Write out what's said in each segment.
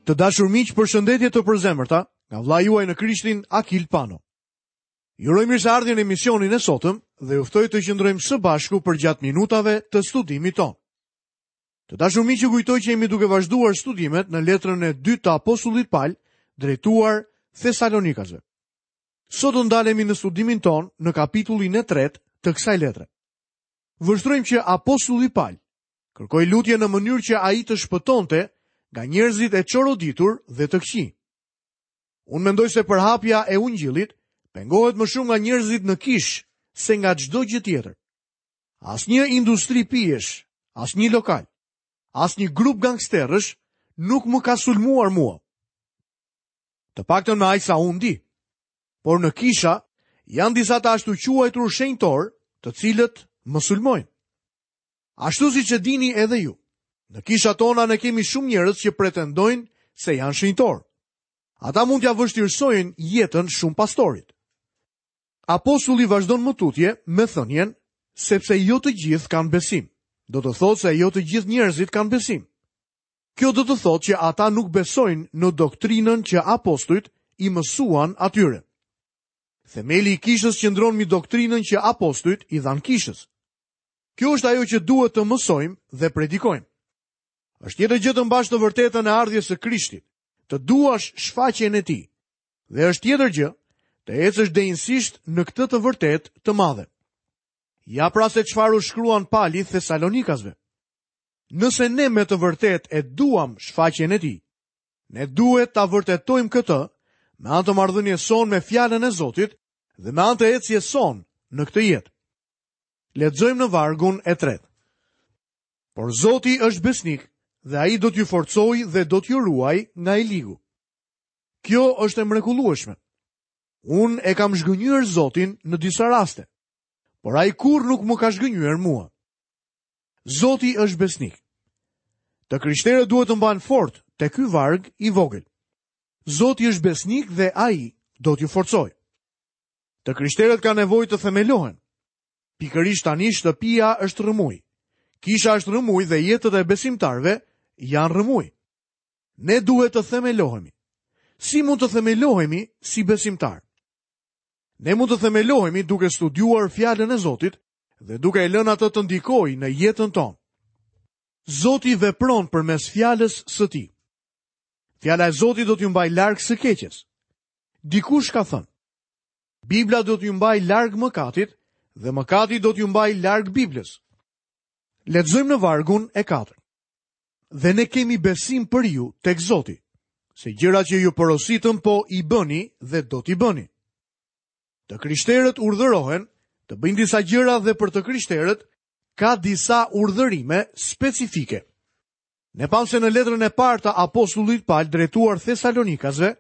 Të dashur miq, përshëndetje të përzemërta nga vëllai juaj në Krishtin Akil Pano. Ju uroj mirëseardhjen në emisionin e sotëm dhe ju ftoj të qëndrojmë së bashku përgjatë minutave të studimit tonë. Të dashur miq, ju kujtoj që jemi duke vazhduar studimet në letrën e dytë të apostullit Pal drejtuar Thesalonikasve. Sot do ndalemi në studimin tonë në kapitullin e tretë të kësaj letre. Vështrojmë që apostulli Pal kërkoi lutje në mënyrë që ai të shpëtonte nga njerëzit e çoroditur dhe të këqij. Unë mendoj se përhapja e ungjillit pengohet më shumë nga njerëzit në kishë se nga çdo gjë tjetër. Asnjë industri pijesh, asnjë lokal, asnjë grup gangsterësh nuk më ka sulmuar mua. Të paktën me aq sa unë di. Por në kisha janë disa të ashtuquajtur shenjtorë, të cilët më sulmojnë. Ashtu siç e dini edhe ju, në kishat tona ne kemi shumë njerëz që pretendojnë se janë shenjtorë. Ata mund t'ia vështirësojnë jetën shumë pastorit. Apostulli vazhdon më tutje me thënien sepse jo të gjithë kanë besim. Do të thotë se jo të gjithë njerëzit kanë besim. Kjo do të thotë që ata nuk besojnë në doktrinën që apostujt i mësuan atyre. Themeli i kishës qëndron mbi doktrinën që apostujt i dhanë kishës. Kjo është ajo që duhet të mësojmë dhe predikojmë. Është tjetër gjë të mbash të vërtetën e ardhjes së Krishtit, të duash shfaqjen e tij. Dhe është tjetër gjë të ecësh denjësisht në këtë të vërtetë të madhe. Ja pra se çfarë u shkruan Pali Thesalonikasve. Nëse ne me të vërtetë e duam shfaqjen e tij, ne duhet ta vërtetojmë këtë me anë të marrëdhënies sonë me fjalën e Zotit dhe me anë të ecjes sonë në këtë jetë. Lexojmë në vargun e tretë. Por Zoti është besnik dhe ai do t'ju forcojë dhe do t'ju ruajë nga i ligu. Kjo është e mrekullueshme. Unë e kam zhgënjyer Zotin në disa raste, por ai kurrë nuk më ka zhgënjyer mua. Zoti është besnik. Të krishterët duhet të mbahen fort te ky varg i vogël. Zoti është besnik dhe ai do t'ju forcojë. Të krishterët kanë nevojë të themelohen. Pikërisht tani shtëpia është rrëmujë. Kisha është rrëmujë dhe jetët e besimtarëve janë rrëmujë. Ne duhet të themelohemi. Si mund të themelohemi si besimtarë? Ne mund të themelohemi duke studiuar fjalën e Zotit dhe duke e lënë atë të ndikojë në jetën tonë. Zoti vepron përmes fjalës së tij. Fjala e Zotit do t'ju mbajë larg së keqes. Dikush ka thënë, Bibla do t'ju mbajë larg mëkatit dhe mëkati do t'ju mbajë larg Biblës. Lexojmë në vargun e 4. Dhe ne kemi besim për ju tek Zoti, se gjërat që ju porositëm po i bëni dhe do t'i bëni. Të krishterët urdhërohen të bëjnë disa gjëra dhe për të krishterët ka disa urdhërime specifike. Ne pamë se në letrën e parë të apostullit Pal drejtuar Thesalonikasve,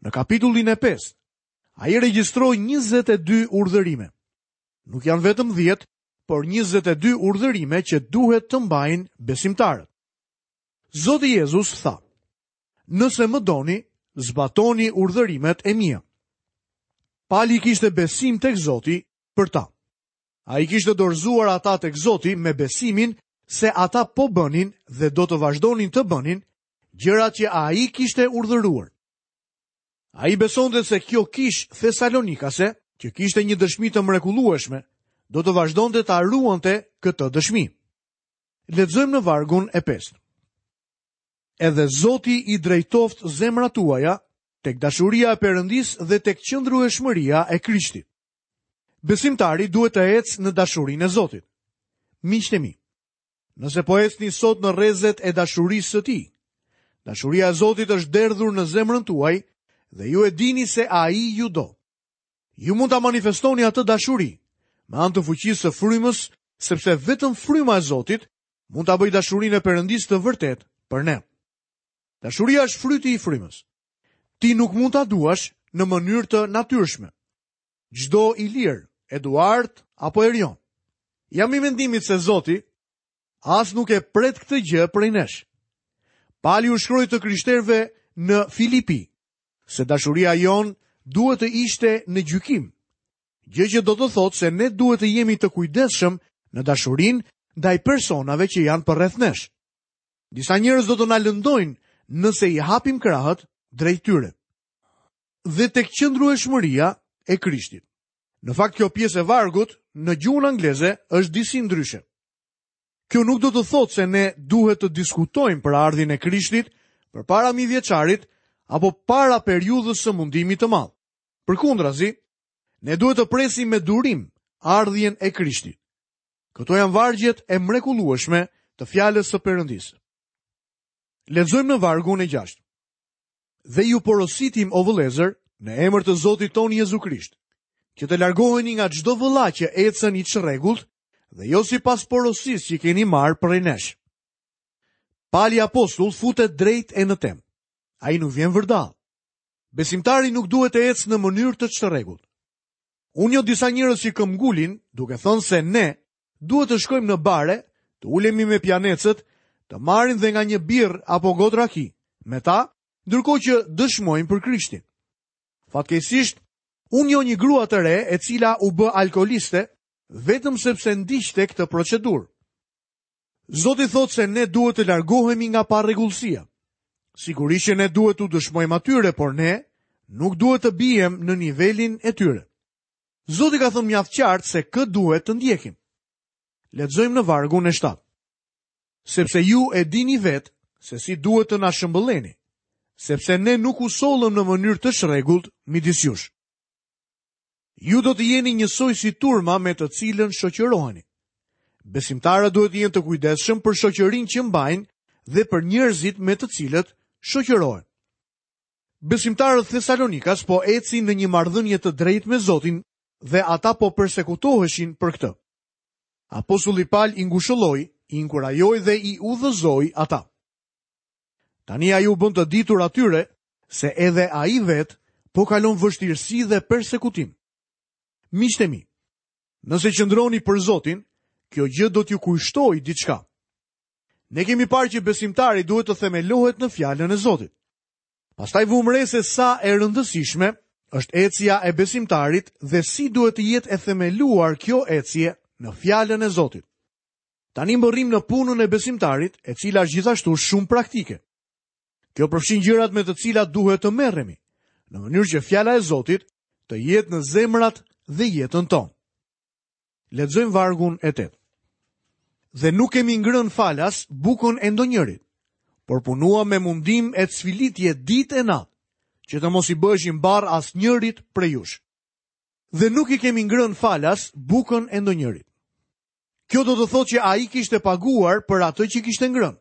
në kapitullin e 5, ai regjistroi 22 urdhërime. Nuk janë vetëm 10, por 22 urdhërime që duhet të mbajnë besimtarët. Zoti Jezus tha: Nëse më doni, zbatoni urdhërimet e mia. Pali kishte besim tek Zoti për ta. Ai kishte dorëzuar ata tek Zoti me besimin se ata po bënin dhe do të vazhdonin të bënin gjërat që ai kishte urdhëruar. Ai besonte se kjo kishë thesalonikase, që kishte një dëshmi të mrekullueshme, do të vazhdonte ta ruante këtë dëshmi. Lexojmë në vargun e pestë. Edhe Zoti i drejtoftë zemrat tuaja tek dashuria e Perëndisë dhe tek qëndrueshmëria e Krishtit. Besimtari duhet të ecë në dashurinë e Zotit. Miqtë e mi, nëse po ecni sot në rrezet e dashurisë së tij, dashuria e Zotit është derdhur në zemrën tuaj dhe ju e dini se ai ju do. Ju mund ta manifestoni atë dashuri me anë të fuqisë së frymës, sepse vetëm fryma e Zotit mund ta bëjë dashurinë e Perëndisë të vërtetë për ne. Dashuria është fryti i frymës. Ti nuk mund ta duash në mënyrë të natyrshme. Çdo Ilir, Eduard apo Erion. Jam i mendimit se Zoti as nuk e pret këtë gjë prej nesh. Pali u shkroi të krishterëve në Filipi, se dashuria jonë duhet të ishte në gjykim, gjë që do të thotë se ne duhet të jemi të kujdesshëm në dashurinë ndaj personave që janë përreth nesh. Disa njerëz do të na lëndojnë nëse i hapim krahët drejt tyre. Dhe tek qëndrueshmëria e Krishtit. Në fakt kjo pjesë e vargut në gjuhën angleze është disi ndryshe. Kjo nuk do të thotë se ne duhet të diskutojmë për ardhjen e Krishtit përpara mijëvjeçarit apo para periudhës së mundimit të madh. Përkundrazi, ne duhet të presim me durim ardhjen e Krishtit. Këto janë vargjet e mrekullueshme të fjalës së Perëndisë. Lexojmë në vargun e 6. Dhe ju porositim o vëllezër, në emër të Zotit tonë Jezu Krisht, që të largoheni nga çdo vëlla që ecën i çrregullt dhe jo sipas porosisë që keni marrë prej nesh. Pali apostull futet drejt e në temë. Ai nuk vjen vërdallë. Besimtari nuk duhet të ecë në mënyrë të çrregullt. Unë njoh disa njerëz që këmbgulin, duke thënë se ne duhet të shkojmë në bare, të ulemi me pijanecët, të marrim dhe nga një birrë apo gotë raki, me ta, ndërkohë që dëshmojmë për Krishtin. Fatkeqësisht, unë njoh një grua të re e cila u bë alkooliste vetëm sepse ndiqte këtë procedurë. Zoti thotë se ne duhet të largohemi nga parregullsia. Sigurisht që ne duhet t'u dëshmojmë atyre, por ne nuk duhet të biem në nivelin e tyre. Zoti ka thënë mjaft qartë se kë duhet të ndjekim. Lexojmë në vargun e 7. Sepse ju e dini vetë se si duhet të na shëmbëlleni, sepse ne nuk u sollëm në mënyrë të çrregullt midis jush. Ju do të jeni njësoj si turma me të cilën shoqëroheni. Besimtarët duhet të jenë të kujdesshëm për shoqërinë që mbajnë dhe për njerëzit me të cilët shoqërohen. Besimtarët thesalonikas po ecin në një marrëdhënie të drejtë me Zotin dhe ata po persekutoheshin për këtë. Apostulli Pal i ngushëlloi, i inkurajoi dhe i udhëzoi ata. Tani ai u bën të ditur atyre se edhe ai vetë po kalon vështirësi dhe persekutim. Miqtë e mi, nëse qëndroni për Zotin, kjo gjë do t'ju kushtojë diçka. Ne kemi parë që besimtari duhet të themelohet në fjalën e Zotit. Pastaj vumë re se sa e rëndësishme është ecja e besimtarit dhe si duhet të jetë e themeluar kjo ecje në fjalën e Zotit. Tani mbërrijmë në punën e besimtarit, e cila është gjithashtu shumë praktike. Kjo përfshin gjërat me të cilat duhet të merremi, në mënyrë që fjala e Zotit të jetë në zemrat dhe jetën tonë. Lexojmë vargun e 8. Dhe nuk kemi ngrënë falas bukën e ndonjërit, por punuam me mundim e cfilitje ditë e natë, që të mos i bëheshim barrë asnjërit prej jush. Dhe nuk i kemi ngrënë falas bukën e ndonjërit. Kjo do të thotë që ai kishte paguar për atë që kishte ngrënë.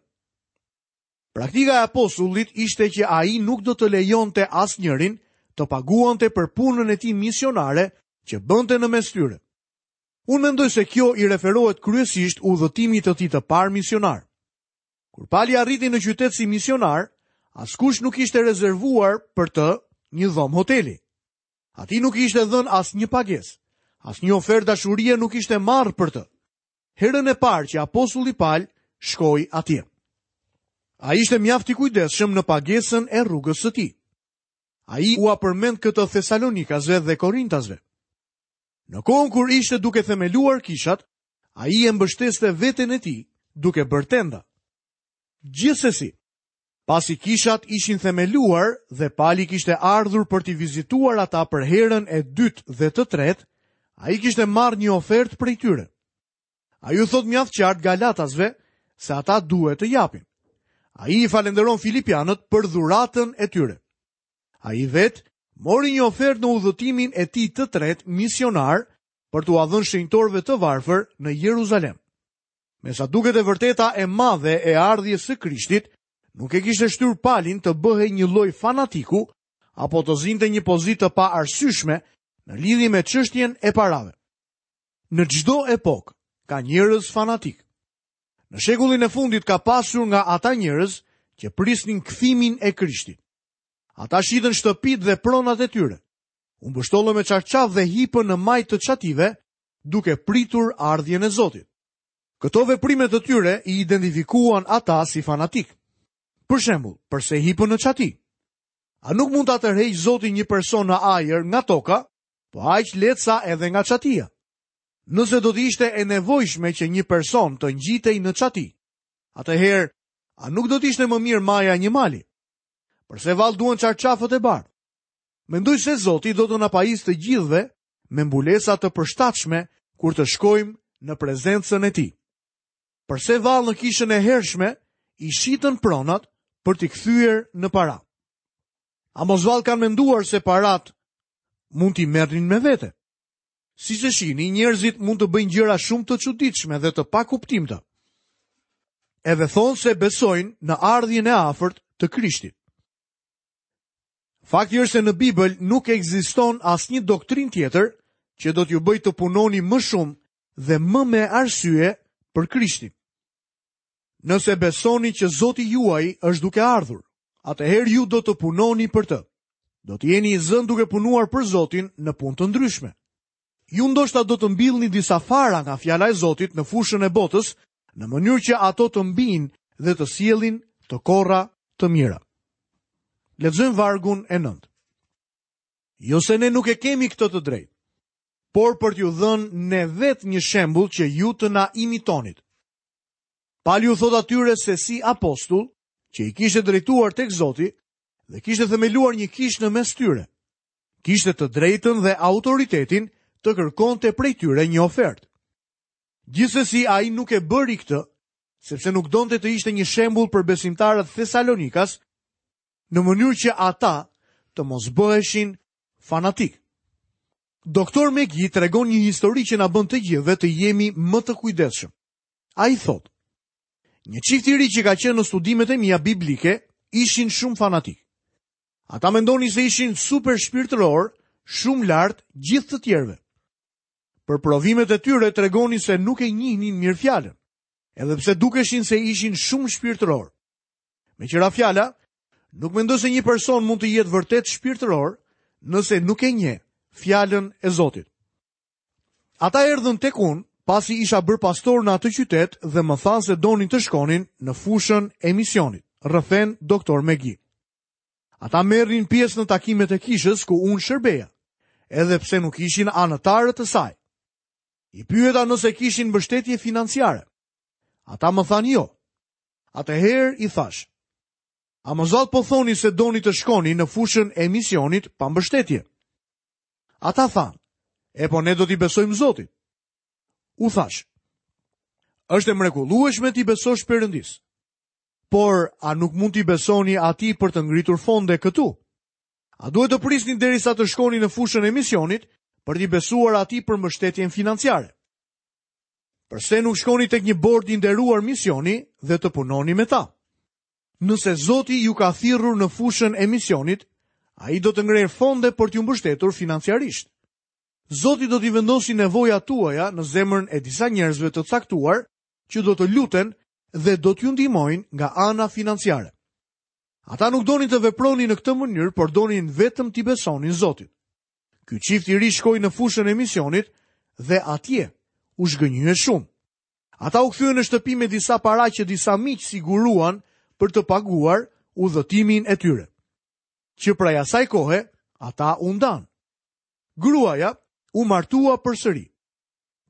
Praktika e apostullit ishte që ai nuk do të lejonte asnjërin të paguante për punën e tij misionare që bënte në mes tyre. Unë mendoj se kjo i referohet kryesisht udhëtimit të tij të parë misionar. Kur Pali arriti në qytet si misionar, askush nuk kishte rezervuar për të një dhomë hoteli. Atij nuk i ishte dhënë asnjë pagesë, asnjë ofertë dashurie nuk ishte marrë për të. Herën e parë që apostulli Pal shkoi atje. Ai ishte mjaft i kujdesshëm në pagesën e rrugës së tij. Ai ua përmend këtë Thesalonikasve dhe Korintasve. Në kohën kur ishte duke themeluar kishat, ai e mbështeste veten e tij duke bërë tenda. Gjithsesi, Pasi kishat ishin themeluar dhe Pali kishte ardhur për t'i vizituar ata për herën e dytë dhe të tretë, ai kishte marrë një ofertë prej tyre. Ai u thotë mjaft qartë Galatasve se ata duhet të japin. Ai i falënderon Filipianët për dhuratën e tyre. Ai vetë mori një ofertë në udhëtimin e tij të tretë misionar për t'ua dhënë shenjtorëve të varfër në Jeruzalem. Me sa duket e vërteta e madhe e ardhjes së Krishtit nuk e kishte shtyrë Palin të bëhej një lloj fanatiku apo të zinte një pozitë të paarsyeshme në lidhje me çështjen e parave. Në çdo epokë ka njerëz fanatikë. Në shekullin e fundit ka pasur nga ata njerëz që prisnin kthimin e Krishtit. Ata shitën shtëpitë dhe pronat e tyre. U mbështollën me çarçaf dhe hipën në majë të çative duke pritur ardhjen e Zotit. Këto veprime të tyre i identifikuan ata si fanatikë. Për shembull, përse hipën në çati? A nuk mund ta tërheqë Zoti një person në ajër nga toka, po aq lehtë sa edhe nga çatia? Nëse do të ishte e nevojshme që një person të ngjitej në çati, atëherë a nuk do të ishte më mirë maja e një mali? Përse vallë duhen çarçafët e bardhë? Mendoj se Zoti do të na pajisë të gjithëve me mbulesa të përshtatshme kur të shkojmë në prezencën e tij. Përse vallë në kishën e hershme i shitën pronat për t'i kthyer në para? A mos vallë kanë menduar se paratë mund t'i merrnin me vete? Siç e shihni, njerëzit mund të bëjnë gjëra shumë të çuditshme dhe të pakuptimta. Edhe thonë se besojnë në ardhjen e afërt të Krishtit. Fakti është se në Bibël nuk ekziston asnjë doktrinë tjetër që do t'ju bëjë të punoni më shumë dhe më me arsye për Krishtin. Nëse besoni që Zoti juaj është duke ardhur, atëherë ju do të punoni për të. Do të jeni i zënë duke punuar për Zotin në punë të ndryshme. Ju ndoshta do të mbillni disa fara nga fjala e Zotit në fushën e botës, në mënyrë që ato të mbijnë dhe të sjellin të korra të mira. Lexojmë vargun e 9. Jo se ne nuk e kemi këtë të drejtë, por për t'ju dhënë ne vetë një shembull që ju të na imitonit. Pali u thotë atyre se si apostull, që i kishte drejtuar tek Zoti dhe kishte themeluar një kishë në mes tyre. Kishte të drejtën dhe autoritetin të kërkonte prej tyre një ofertë. Gjithsesi ai nuk e bëri këtë, sepse nuk donte të ishte një shembull për besimtarët thesalonikas, në mënyrë që ata të mos bëheshin fanatikë. Doktor McGee tregon një histori që na bën të gjithëve të jemi më të kujdesshëm. Ai thotë: Një çift i ri që ka qenë në studimet e mia biblike ishin shumë fanatikë. Ata mendonin se ishin super shpirtërorë, shumë lart gjithë të tjerëve. Për provimet e tyre tregonin se nuk e njihnin mirë fjalën, edhe pse dukeshin se ishin shumë shpirtërorë. Meqë ra fjala, nuk mendoj se një person mund të jetë vërtet shpirtëror nëse nuk e njeh fjalën e Zotit. Ata erdhën tek unë, pasi isha bërë pastor në atë qytet dhe më thanë se donin të shkonin në fushën e misionit, rrëfen doktor McGee. Ata merrnin pjesë në takimet e kishës ku unë shërbeja, edhe pse nuk ishin anëtarë të saj. I pyeta nëse kishin mbështetje financiare. Ata më thanë jo. Atëherë i thashë, a mos vallë po thoni se doni të shkoni në fushën e misionit pa mbështetje? Ata thanë, e po ne do t'i besojmë Zotit. U thashë, është e mrekullueshme t'i besosh Perëndisë. Por, a nuk mund t'i besoni atij për të ngritur fonde këtu? A duhet të prisni derisa të shkoni në fushën e misionit për t'i besuar atij për mbështetjen financiare? Përse nuk shkoni tek një bord i nderuar misioni dhe të punoni me ta? Nëse Zoti ju ka thirrur në fushën e misionit, ai do të ngrejë fonde për t'ju mbështetur financiarisht. Zoti do t'i vendosi nevojat tuaja në zemrën e disa njerëzve të caktuar që do të luten dhe do t'ju ndihmojnë nga ana financiare. Ata nuk donin të vepronin në këtë mënyrë, por donin vetëm t'i besonin Zotit. Ky çift i ri shkoi në fushën e misionit dhe atje u zhgënjye shumë. Ata u kthyen në shtëpi me disa para që disa miq siguruan për të paguar udhëtimin e tyre. Që prej asaj kohe, ata u ndanë. Gruaja u martua përsëri.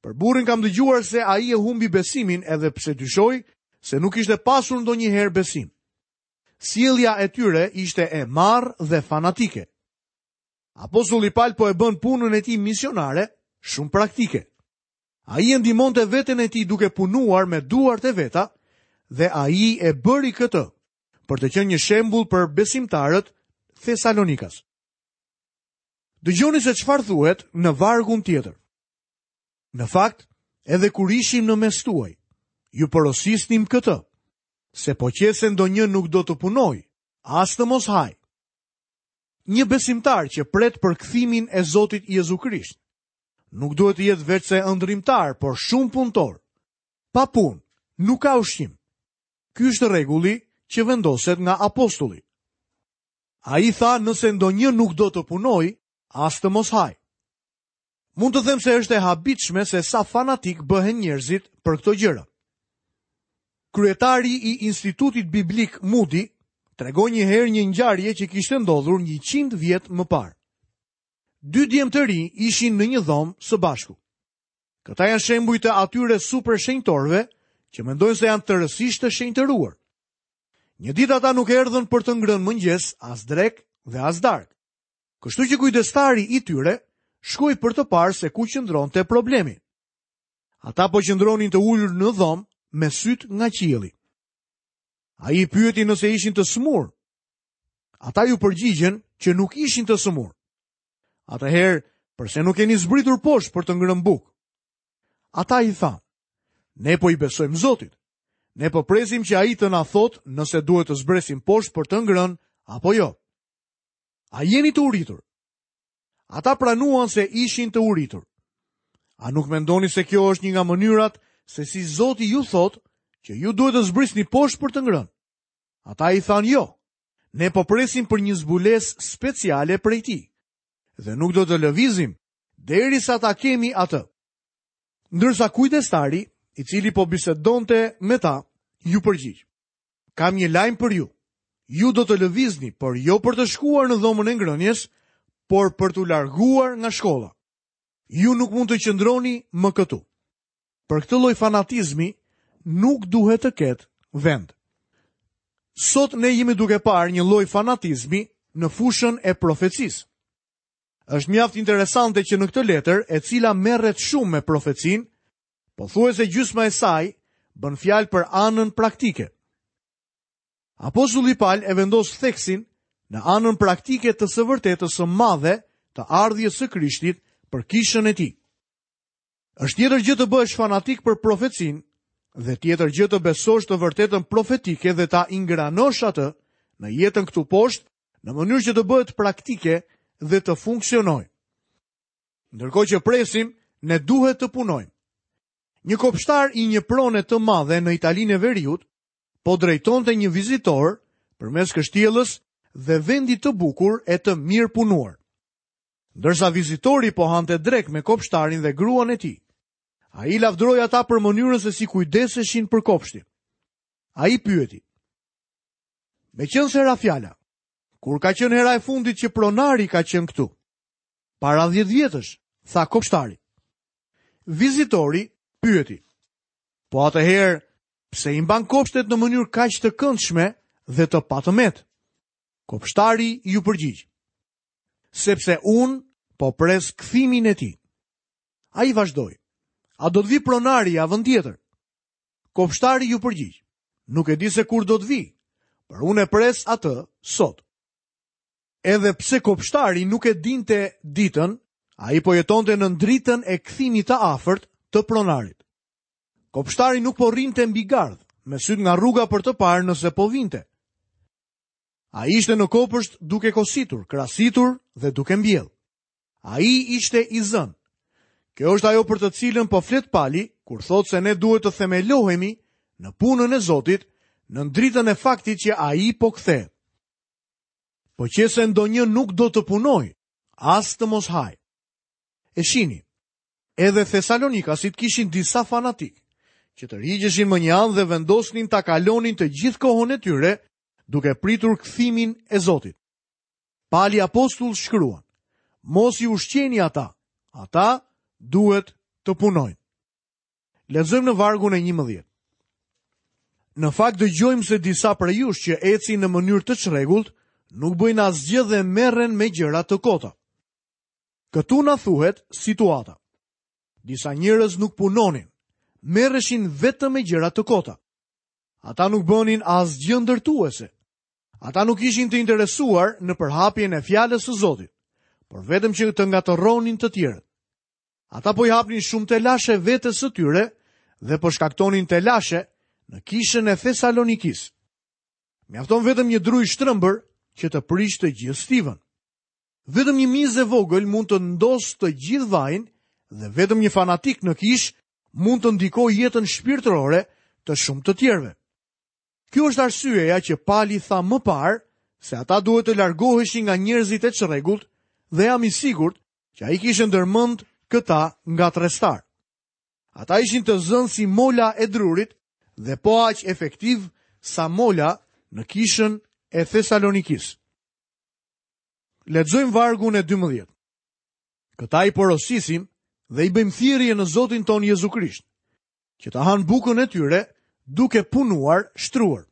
Për burrin kam dëgjuar se ai e humbi besimin edhe pse dyshoj se nuk kishte pasur ndonjëherë besim. Sjellja e tyre ishte e marrë dhe fanatike. Apostulli Pal po e bën punën e tij misionare shumë praktike. Ai e ndihmonte veten e tij duke punuar me duart e veta dhe ai e bëri këtë për të qenë një shembull për besimtarët thesalonikas. Dëgjoni se çfarë thuhet në vargun tjetër. Në fakt, edhe kur ishim në mes tuaj, ju porosisnim këtë, se po qe se ndonjë nuk do të punojë, as të mos hajë. Një besimtar që pret për kthimin e Zotit Jezu Krisht, nuk duhet të jetë veçse ëndërrimtar, por shumë punëtor. Pa punë, nuk ka ushqim. Ky është rregulli që vendoset nga apostulli. Ai tha nëse ndonjë nuk do të punojë, as të mos hajë. Mund të them se është e habitshme se sa fanatikë bëhen njerëzit për këto gjëra. Kryetari i Institutit Biblik Moody tregoi një herë një ngjarje që kishte ndodhur 100 vjet më parë. Dy djem të rinj ishin në një dhomë së bashku. Këta janë shembuj të atyre super shenjtorëve që mendojnë se janë tërësisht të shenjtëruar. Një ditë ata nuk erdhën për të ngrënë mëngjes, as drekë dhe as darkë. Kështu që kujdestari i tyre shkoi për të parë se ku qëndronte problemi. Ata po qëndronin të ulur në dhomë me sytë nga qielli. Ai i pyeti nëse ishin të sëmurë. Ata iu përgjigjën që nuk ishin të sëmurë. Atëherë, përse nuk keni zbritur poshtë për të ngrënë bukë? Ata i thanë, ne po i besojmë Zotit. Ne po presim që ai të na thotë nëse duhet të zbresim poshtë për të ngrënë apo jo. A jeni të uritur? Ata pranuan se ishin të uritur. A nuk mendoni se kjo është një nga mënyrat se si Zoti ju thotë që ju duhet të zbrisni poshtë për të ngrënë? Ata i thanë jo. Ne po presim për një zbulesë speciale prej tij dhe nuk do të lëvizim derisa ta kemi atë. Ndërsa kujdestari, i cili po bisedonte me ta, iu përgjigj. Kam një lajm për ju. Ju do të lëvizni, por jo për të shkuar në dhomën e ngrënies, por për t'u larguar nga shkolla. Ju nuk mund të qëndroni më këtu. Për këtë lloj fanatizmi nuk duhet të ketë vend. Sot ne jemi duke parë një lloj fanatizmi në fushën e profecisë. Është mjaft interesante që në këtë letër, e cila merret shumë me profecinë, pothuajse gjysma e saj bën fjalë për anën praktike. Apostulli Pal e vendos theksin në anën praktike të së vërtetës së madhe të ardhjes së Krishtit për kishën e tij. Është tjetër gjë të bëhesh fanatik për profecinë dhe tjetër gjë të besosh të vërtetën profetike dhe ta ingranosh atë në jetën këtu poshtë në mënyrë që të bëhet praktike dhe të funksionojë. Ndërkohë që presim, ne duhet të punojmë. Një kopshtar i një prone të madhe në Italinë e Veriut po drejtonte një vizitor përmes kështjellës dhe vendit të bukur e të mirëpunuar. Ndërsa vizitori po hante drekë me kopshtarin dhe gruan e tij, ai i lavdëroi ata për mënyrën se si kujdeseshin për kopshtin. Ai pyeti: Meqenëse ra fjala, kur ka qenë hera e fundit që pronari ka qenë këtu? Para 10 vjetësh, tha kopshtari. Vizitori pyeti: Po atëherë, pse i mban kopshtet në mënyrë kaq të këndshme dhe të patëmetë? Kopshtari iu përgjigj: Sepse unë po pres kthimin e tij. Ai vazhdoi: A do të vijë pronari javën tjetër? Kopshtari iu përgjigj: Nuk e di se kur do të vijë, por unë e pres atë sot. Edhe pse kopshtari nuk e dinte ditën, ai po jetonte nën dritën e kthimit të afërt të pronarit. Kopshtari nuk po rrinte mbi gardh, me sytë nga rruga për të parë nëse po vinte. Ai ishte në kopësht duke kositur, krasitur dhe duke mbjellë. Ai ishte i zënë. Kjo është ajo për të cilën po flet Pali, kur thotë se ne duhet të themelohemi në punën e Zotit, nën dritën e faktit që ai po kthehet. Po qe se ndonjë nuk do të punojë, as të mos hajë. E shihni, edhe Thesalonikasit kishin disa fanatikë, që tërhiqeshin mënjanë dhe vendosnin ta kalonin të gjithë kohën e tyre duke pritur kthimin e Zotit. Pali apostull shkruan, mos i ushqeni ata, ata duhet të punojnë. Lexojmë në vargun e 11. Në fakt dëgjojmë se disa prej jush që ecin në mënyrë të çrregullt, nuk bëjnë asgjë dhe merren me gjëra të kota. Këtu na thuhet situata. Disa njerëz nuk punonin, merreshin vetëm me gjëra të kota. Ata nuk bënin asgjë ndërtuese. Ata nuk ishin të interesuar në përhapjen e fjalës së Zotit, por vetëm që të ngatërronin të tjerët. Ata po i hapnin shumë telashe vetes së tyre dhe po shkaktonin telashe në kishën e Thesalonikisë. Mjafton vetëm një dru i shtrembër që të prishë të gjithë stivën. Vetëm një mizë e vogël mund të ndosë të gjithë vajin dhe vetëm një fanatik në kishë mund të ndikojë jetën shpirtërore të shumë të tjerëve. Kjo është arsyeja që Pali tha më parë se ata duhet të largoheshin nga njerëzit e çrregullt dhe jam i sigurt që ai kishte ndërmend këta ngatërrestarë. Ata ishin të zënë si mola e drurit dhe po aq efektivë sa mola në kishën e Thesalonikisë. Lexojmë vargun e 12. Këta i porosisim dhe i bëjmë thirrje në Zotin tonë Jezu Krisht, që të hanë bukën e tyre duke punuar shtruar.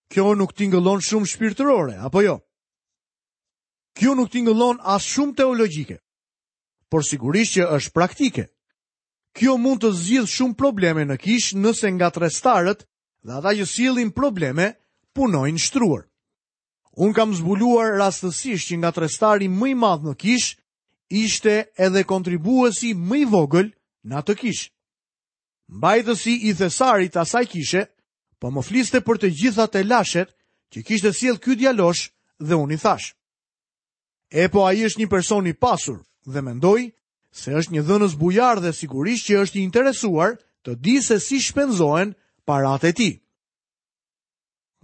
Kjo nuk tingëllon shumë shpirtërore, apo jo? Kjo nuk tingëllon as shumë teologjike, por sigurisht që është praktike. Kjo mund të zgjidhë shumë probleme në kishë nëse ngatërrestarët dhe ata që sjellin probleme punojnë shtruar. Unë kam zbuluar rastësisht që ngatërrestari më i madh në kishë ishte edhe kontribuuesi më i vogël në atë kishë. Mbajtësi i thesarit të asaj kishe po më fliste për të gjitha telashet që kishte sjellë ky djalosh dhe unë i thashë. E po ai është një person i pasur dhe mendoj se është një dhënës bujar dhe sigurisht që është i interesuar të dijë se si shpenzohen paratë e tij.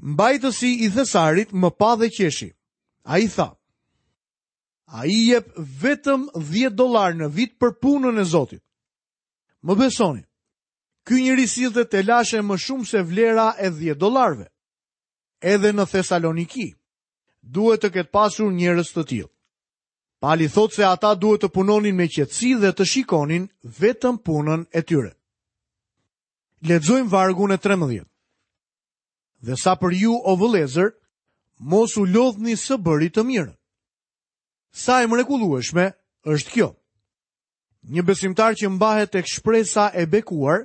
Mbajtësi i thesarit më pa dhe qeshi. Ai tha, ai jep vetëm 10 dollarë në vit për punën e Zotit. Më besoni, ky njeri sillte telashe më shumë se vlera e 10 dollarëve. Edhe në Thesaloniki, duhet të ketë pasur njerëz të tillë. Pali thotë se ata duhet të punonin me qetësi dhe të shikonin vetëm punën e tyre. Lexojmë vargun e 13. Dhe sa për ju, o vëllezër, mos u lodhni së bëri të mirën. Sa e mrekullueshme është kjo. Një besimtar që mbahet tek shpresa e bekuar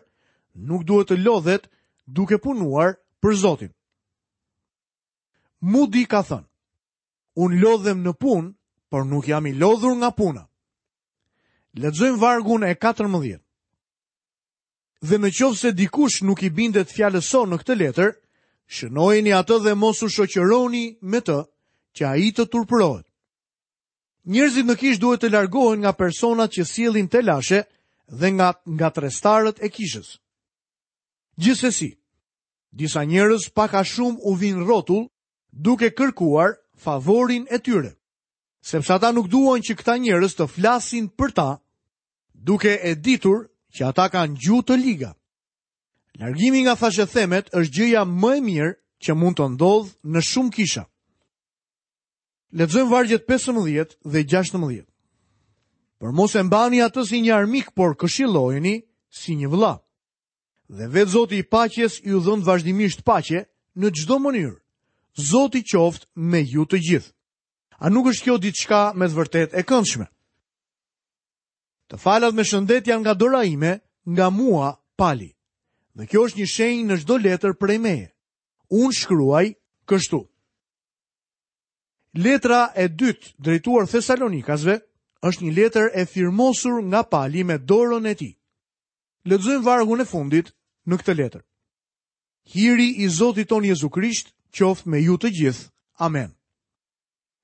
nuk duhet të lodhet duke punuar për Zotin. Moody ka thënë, unë lodhem në punë, por nuk jam i lodhur nga puna. Lexojmë vargun e 14. Dhe në qoftë se dikush nuk i bindet fjalës sonë në këtë letër, shënojeni atë dhe mos u shoqëroni me të, që ai të turpërohet. Njerëzit në kishë duhet të largohen nga personat që sjellin telashe dhe nga ngatërrestarët e kishës. Gjithsesi, disa njerëz pak a shumë u vijnë rrotull duke kërkuar favorin e tyre, sepse ata nuk duan që këta njerëz të flasin për ta, duke e ditur që ata kanë gjuhë të liga. Largimi nga thashethemet është gjëja më e mirë që mund të ndodhë në shumë kisha. Lexojmë vargjet 15 dhe 16. Por mos e mbani atë si një armik, por këshillojeni si një vëlla. Dhe vetë Zoti i paqes ju dhëntë vazhdimisht paqe në çdo mënyrë. Zoti qoftë me ju të gjithë. A nuk është kjo diçka me të vërtetë e këndshme? Të falat me shëndet janë nga dora ime, nga mua, Pali. Dhe kjo është një shenjë në çdo letër prej meje. Unë shkruaj kështu. Letra e dytë drejtuar Thesalonikasve është një letër e firmosur nga Pali me dorën e tij. Lexojmë vargun e fundit në këtë letër. Hiri i Zotit tonë Jezu Krisht qoftë me ju të gjithë. Amen.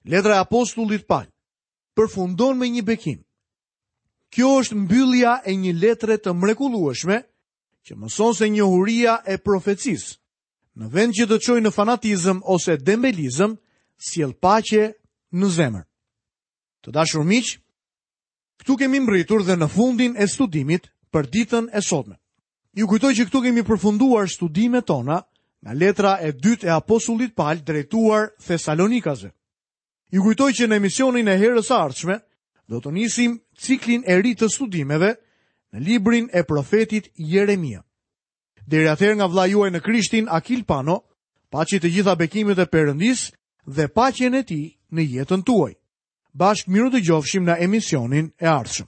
Letra e apostullit Pal përfundon me një bekim. Kjo është mbyllja e një letre të mrekullueshme që mëson se njohuria e profecisë në vend që të çojë në fanatizëm ose dembelizëm, sjell paqe në zemër. Të dashur miq, këtu kemi mbërritur dhe në fundin e studimit për ditën e sotme. Ju kujtoj që këtu kemi përfunduar studimet tona nga letra e dytë e apostullit Pal drejtuar Thesalonikasve. Ju kujtoj që në emisionin e herës së ardhshme do të nisim ciklin e ri të studimeve në librin e profetit Jeremia. Deri atëherë nga vëllai juaj në Krishtin Akil Pano, paçi të gjitha bekimet e Perëndisë dhe paqen e tij në jetën tuaj. Bashkë mirudëgjofshim në emisionin e ardhshëm.